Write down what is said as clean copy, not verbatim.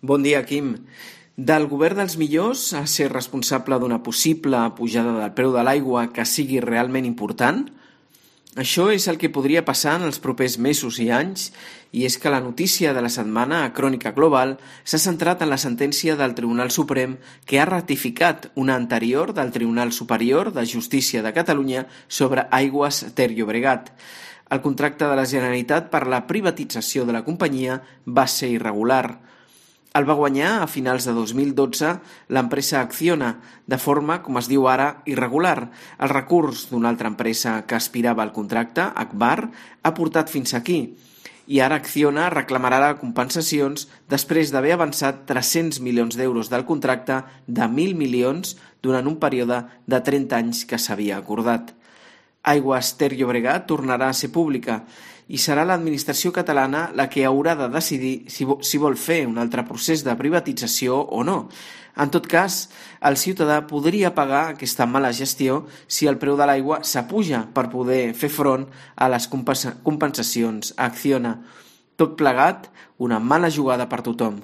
Bon dia, Quim. Del govern dels millors a ser responsable d'una possible pujada del preu de l'aigua que sigui realment important? Això és el que podria passar en els propers mesos i anys, i és que la notícia de la setmana a Crònica Global s'ha centrat en la sentència del Tribunal Suprem que ha ratificat una anterior del Tribunal Superior de Justícia de Catalunya sobre Aigües Ter Llobregat. El contracte de la Generalitat per la privatització de la companyia va ser irregular. El va guanyar a finals de 2012 l'empresa Acciona, de forma, com es diu ara, irregular. El recurs d'una altra empresa que aspirava al contracte, Agbar, ha portat fins aquí. I ara Acciona reclamarà compensacions després d'haver avançat 300 milions d'euros del contracte de 1.000 milions durant un període de 30 anys que s'havia acordat. Aigües Ter Llobregat tornarà a ser pública i serà l'administració catalana la que haurà de decidir si vol fer un altre procés de privatització o no. En tot cas, el ciutadà podria pagar aquesta mala gestió si el preu de l'aigua s'apuja per poder fer front a les compensacions a Acciona. Tot plegat, una mala jugada per tothom.